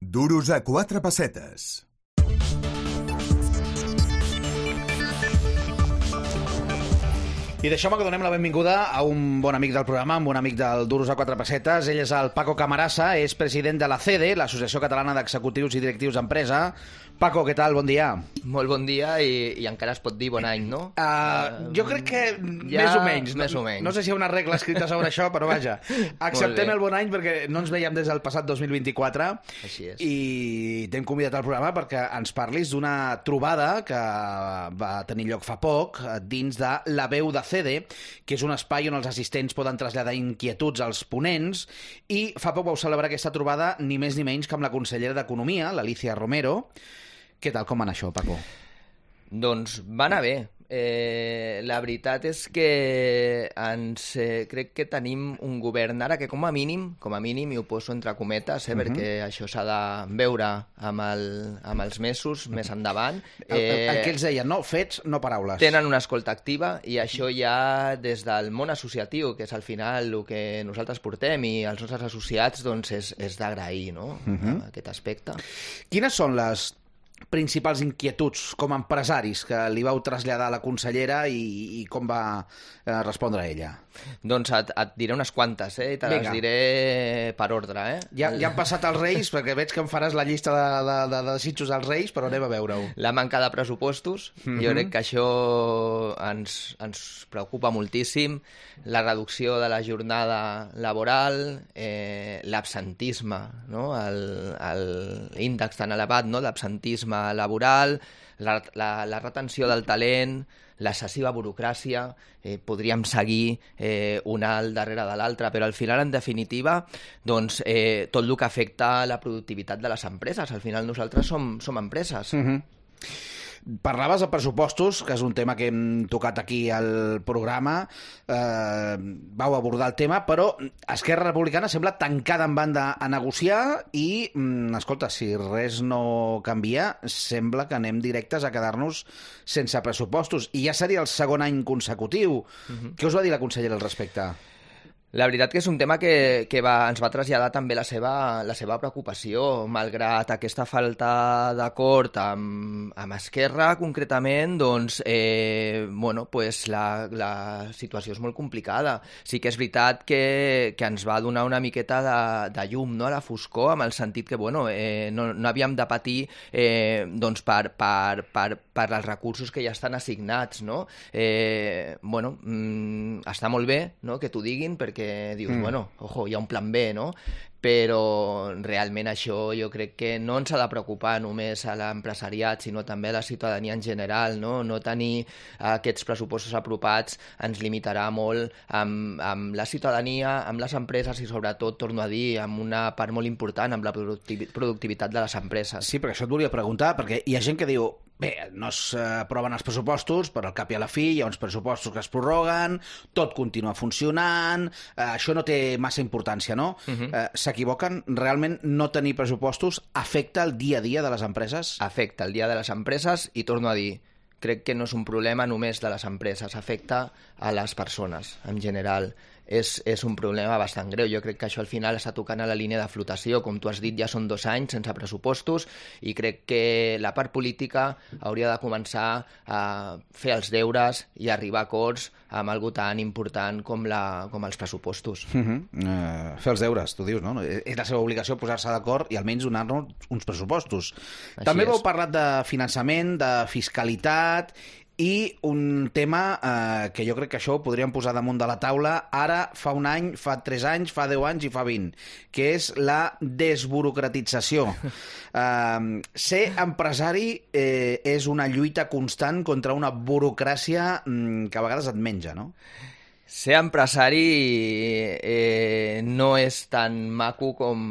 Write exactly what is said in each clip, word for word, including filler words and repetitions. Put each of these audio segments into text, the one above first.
Duros a quatre pessetes. I deixeu-me que donem la benvinguda a un bon amic del programa, un bon amic del Duros a quatre pessetes. Ell és el Paco Camarasa, és president de la C E D E, l'Associació Catalana d'Executius i Directius d'Empresa. Paco, què tal? Bon dia. Molt bon dia i, i encara es pot dir bon any, no? Uh, uh, jo crec que ja, més o menys. Més no, o menys. No sé si hi ha una regla escrita sobre això, però vaja. Acceptem el bon any perquè no ens veiem des del passat dos mil vint-i-quatre. Així és. I t'hem convidat al programa perquè ens parlis d'una trobada que va tenir lloc fa poc dins de La Veu de C E D E, que és un espai on els assistents poden traslladar inquietuds als ponents, i fa poc vau celebrar aquesta trobada ni més ni menys que amb la consellera d'Economia, l'Alícia Romero. Què tal, com va anar això, Paco? Doncs va anar bé. Eh, la veritat és que ens, eh, crec que tenim un govern ara que com a mínim, com a mínim, i ho poso entre cometes, eh, uh-huh. perquè això s'ha de veure amb, el, amb els mesos més endavant. Eh, el, el, el que ells deien, no? Fets, no paraules. Tenen una escolta activa i això ja des del món associatiu, que és al final el que nosaltres portem i els nostres associats, doncs és, és d'agrair, no? Uh-huh. Aquest aspecte. Quines són les principals inquietuds com a empresaris que li vau traslladar a la consellera i, i com va eh, respondre ella? Doncs et, et diré unes quantes, eh? I te les diré per ordre, eh? Ja, ja han passat els Reis, perquè veig que em faràs la llista de, de, de, de desitjos als Reis, però anem a veure-ho. La manca de pressupostos, mm-hmm. jo crec que això ens, ens preocupa moltíssim, la reducció de la jornada laboral, eh, l'absentisme, no? L'índex tan elevat, no? L'absentisme laboral, la, la, la retenció del talent, l'excessiva burocràcia, eh, podríem seguir eh, una al darrere de l'altra, però al final, en definitiva, doncs, eh, tot el que afecta la productivitat de les empreses. Al final nosaltres som, som empreses. Mm-hmm. Parlaves de pressupostos, que és un tema que hem tocat aquí al programa, eh, vau abordar el tema, però Esquerra Republicana sembla tancada en banda a negociar i, mm, escolta, si res no canvia, sembla que anem directes a quedar-nos sense pressupostos, i ja seria el segon any consecutiu. Uh-huh. Què us va dir la consellera al respecte? La veritat que és un tema que, que va, ens va traslladar també la seva, la seva preocupació, malgrat aquesta falta d'acord amb, amb Esquerra, concretament, doncs, eh, bueno, pues la, la situació és molt complicada. Sí que és veritat que, que ens va donar una miqueta de, de llum, no?, a la foscor, amb el sentit que, bueno, eh, no, no havíem de patir eh, doncs per, per, per, per els recursos que ja estan assignats, no? Eh, bueno, mm, està molt bé, no?, que t'ho diguin, perquè que dius, mm. bueno, ojo, hi ha un plan B, no? Però realment això jo crec que no ens ha de preocupar només a l'empresariat, sinó també a la ciutadania en general, no? No tenir aquests pressupostos apropats ens limitarà molt amb, amb la ciutadania, amb les empreses i sobretot, torno a dir, amb una part molt important, amb la productivitat de les empreses. Sí, perquè això et volia preguntar, perquè hi ha gent que diu, bé, no s'aproven els pressupostos, però al cap i a la fi hi ha uns pressupostos que es prorroguen, tot continua funcionant, eh, això no té massa importància, no? Uh-huh. Eh, s'equivoquen? Realment no tenir pressupostos afecta el dia a dia de les empreses? Afecta el dia de les empreses i torno a dir, crec que no és un problema només de les empreses, afecta a les persones en general. És, és un problema bastant greu. Jo crec que això al final està tocant a la línia de flotació. Com tu has dit, ja són dos anys sense pressupostos i crec que la part política hauria de començar a fer els deures i arribar a acords amb algo tan important com, la, com els pressupostos. Uh-huh. Uh, fer els deures, tu dius, no? És la seva obligació posar-se d'acord i almenys donar-nos uns pressupostos. Així També és. Vau parlat de finançament, de fiscalitat i un tema eh, que jo crec que això ho podríem posar damunt de la taula ara, fa un any, fa tres anys, fa deu anys i fa vint, que és la desburocratització. Eh, ser empresari eh, és una lluita constant contra una burocràcia mm, que a vegades et menja, no? Ser empresari eh, no és tan maco com,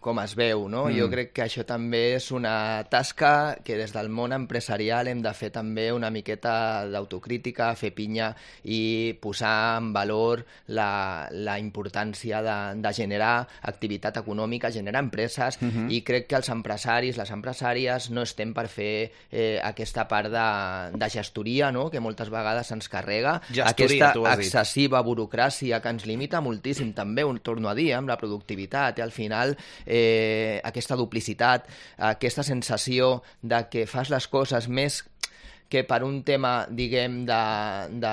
com es veu, no? Mm. Jo crec que això també és una tasca que des del món empresarial hem de fer també una miqueta d'autocrítica, fer pinya i posar en valor la, la importància de, de generar activitat econòmica, generar empreses, mm-hmm. i crec que els empresaris, les empresàries, no estem per fer eh, aquesta part de, de gestoria, no?, que moltes vegades ens carrega. Gestoria, aquesta tu has dit. excessiva burocràcia que ens limita moltíssim també, ho torno a dir, amb la productivitat, i al final eh, aquesta duplicitat, aquesta sensació de que fas les coses més que per un tema, diguem, de, de,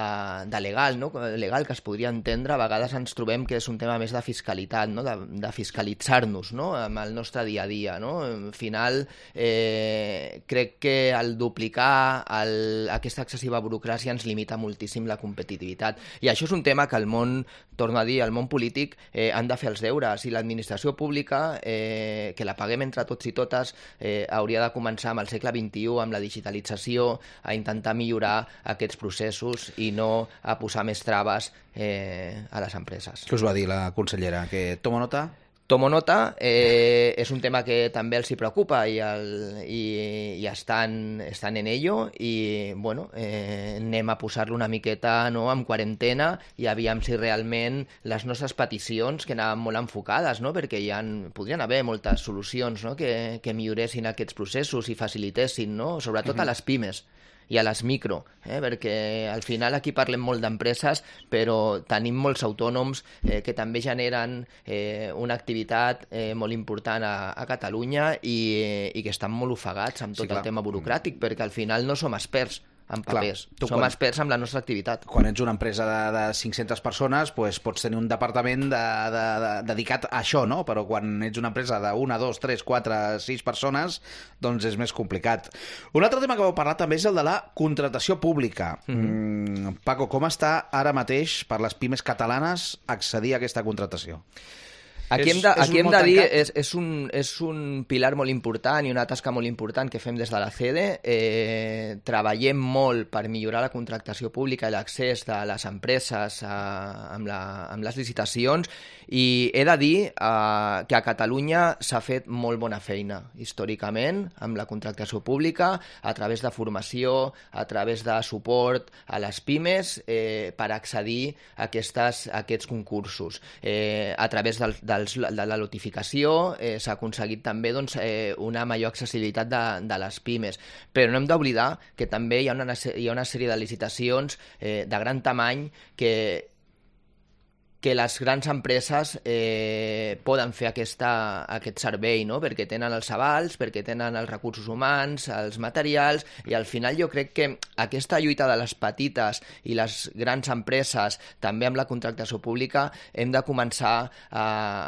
de legal, no? legal que es podria entendre, a vegades ens trobem que és un tema més de fiscalitat, no? de, de fiscalitzar-nos, no? amb el nostre dia a dia. No? Al final, eh, crec que el duplicar el, aquesta excessiva burocràcia ens limita moltíssim la competitivitat. I això és un tema que el món, torno a dir, el món polític eh, han de fer els deures, i l'administració pública, eh, que la paguem entre tots i totes, eh, hauria de començar amb el segle vint-i-u, amb la digitalització, a intentar millorar aquests processos i no a posar més traves eh, a les empreses. Què us va dir la consellera? Que tomo nota? Tomo nota, eh, és un tema que també els hi preocupa i, el, i, i estan, estan en ello, i bueno, eh, anem a posar-lo una miqueta, no, en quarantena, i aviam si realment les nostres peticions, que anaven molt enfocades, no, perquè hi ha, podrien haver moltes solucions, no, que, que milloressin aquests processos i facilitessin, no, sobretot uh-huh. a les pimes i a les micro, eh? perquè al final aquí parlem molt d'empreses, però tenim molts autònoms eh, que també generen eh, una activitat eh, molt important a, a Catalunya i, eh, i que estan molt ofegats amb tot sí, el tema burocràtic, perquè al final no som experts en papers. Clar, som quan, experts amb la nostra activitat. Quan ets una empresa de, de cinc-centes persones, pues, pots tenir un departament de, de, de, dedicat a això, no? Però quan ets una empresa d'una, dos, tres, quatre, sis persones, doncs és més complicat. Un altre tema que vau parlar també és el de la contractació pública. Mm-hmm. Mm, Paco, com està ara mateix per les pimes catalanes accedir a aquesta contractació? Aquí hem de, aquí hem de dir, és, és, un, és un pilar molt important i una tasca molt important que fem des de la C E D E. Eh, treballem molt per millorar la contractació pública i l'accés de les empreses a, amb, la, amb les licitacions, i he de dir eh, que a Catalunya s'ha fet molt bona feina històricament amb la contractació pública, a través de formació, a través de suport a les pimes eh, per accedir a, aquestes, a aquests concursos. Eh, a través del, de de la notificació eh, s'ha aconseguit també doncs, eh, una major accessibilitat de, de les pimes, però no hem d'oblidar que també hi ha una, hi ha una sèrie de licitacions eh, de gran tamany que que les grans empreses eh, poden fer aquesta, aquest servei, no? Perquè tenen els avals, perquè tenen els recursos humans, els materials, i al final jo crec que aquesta lluita de les petites i les grans empreses, també amb la contractació pública, hem de començar a,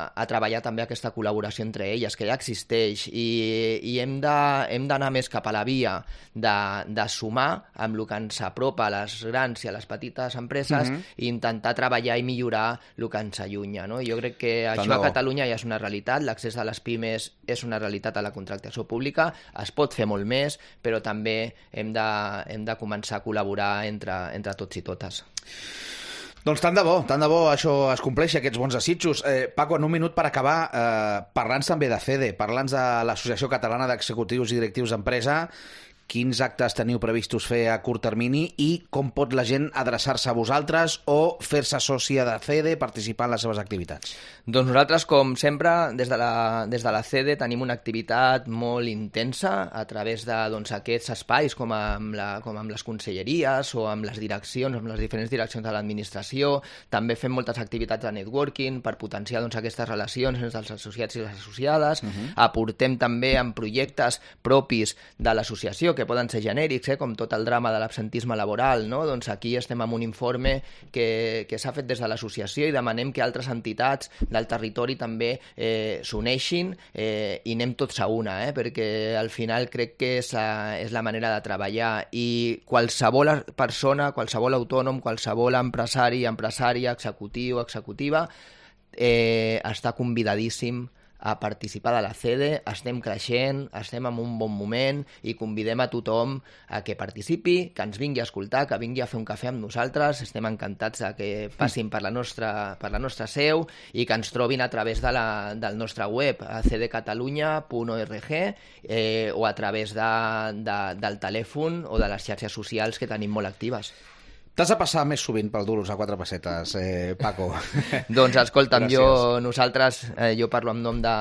a treballar també aquesta col·laboració entre elles, que ja existeix, i, i hem d'anar més cap a la via de, de sumar amb el que ens apropa a les grans i a les petites empreses, mm-hmm. i intentar treballar i millorar el que ens allunya, no? Jo crec que això a Catalunya ja és una realitat, l'accés de les pimes és una realitat a la contractació pública, es pot fer molt més, però també hem de, hem de començar a col·laborar entre, entre tots i totes. Doncs tant de bo, tant de bo això es compleixi, aquests bons desitjos. Eh, Paco, en un minut per acabar, eh, parlant també de C E D E, parlant de l'Associació Catalana d'Executius i Directius d'Empresa, quins actes teniu previstos fer a curt termini i com pot la gent adreçar-se a vosaltres o fer-se sòcia de C E D E, participar en les seves activitats? Doncs nosaltres, com sempre, des de la, des de la C E D E tenim una activitat molt intensa a través de doncs, aquests espais, com amb, la, com amb les conselleries o amb les direccions, amb les diferents direccions de l'administració. També fem moltes activitats de networking per potenciar doncs, aquestes relacions entre els associats i les associades. Uh-huh. Aportem també en projectes propis de l'associació, que poden ser genèrics, eh, com tot el drama de l'absentisme laboral, no? Doncs aquí estem amb un informe que, que s'ha fet des de l'associació i demanem que altres entitats del territori també eh, s'uneixin eh, i anem tots a una, eh, perquè al final crec que és la, és la manera de treballar, i qualsevol persona, qualsevol autònom, qualsevol empresari, empresària, executiu, executiva, eh, està convidadíssim a participar de la C E D E. Estem creixent, estem en un bon moment i convidem a tothom a que participi, que ens vingui a escoltar, que vingui a fer un cafè amb nosaltres. Estem encantats de que passin per la nostra, per la nostra seu i que ens trobin a través de la, del nostre web, a c d catalunya punt org, eh, o a través de, de, del telèfon o de les xarxes socials que tenim molt actives. T'has de passar més sovint pel Duros a quatre pessetes, eh, Paco. Doncs escolta'm, jo, nosaltres, eh, jo parlo en nom de,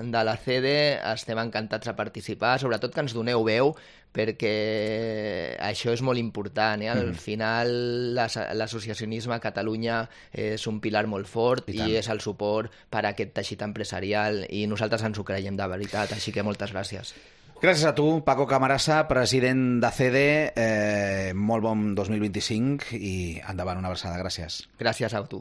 de la C D, estem encantats de participar, sobretot que ens doneu veu, perquè això és molt important. Eh? Al mm. final, l'associacionisme a Catalunya és un pilar molt fort i, i és el suport per a aquest teixit empresarial i nosaltres ens ho creiem de veritat, així que moltes gràcies. Gràcies a tu, Paco Camarasa, president de C D. Eh, molt bon dos mil vint-i-cinc i endavant, una abraçada. Gràcies. Gràcies a tu.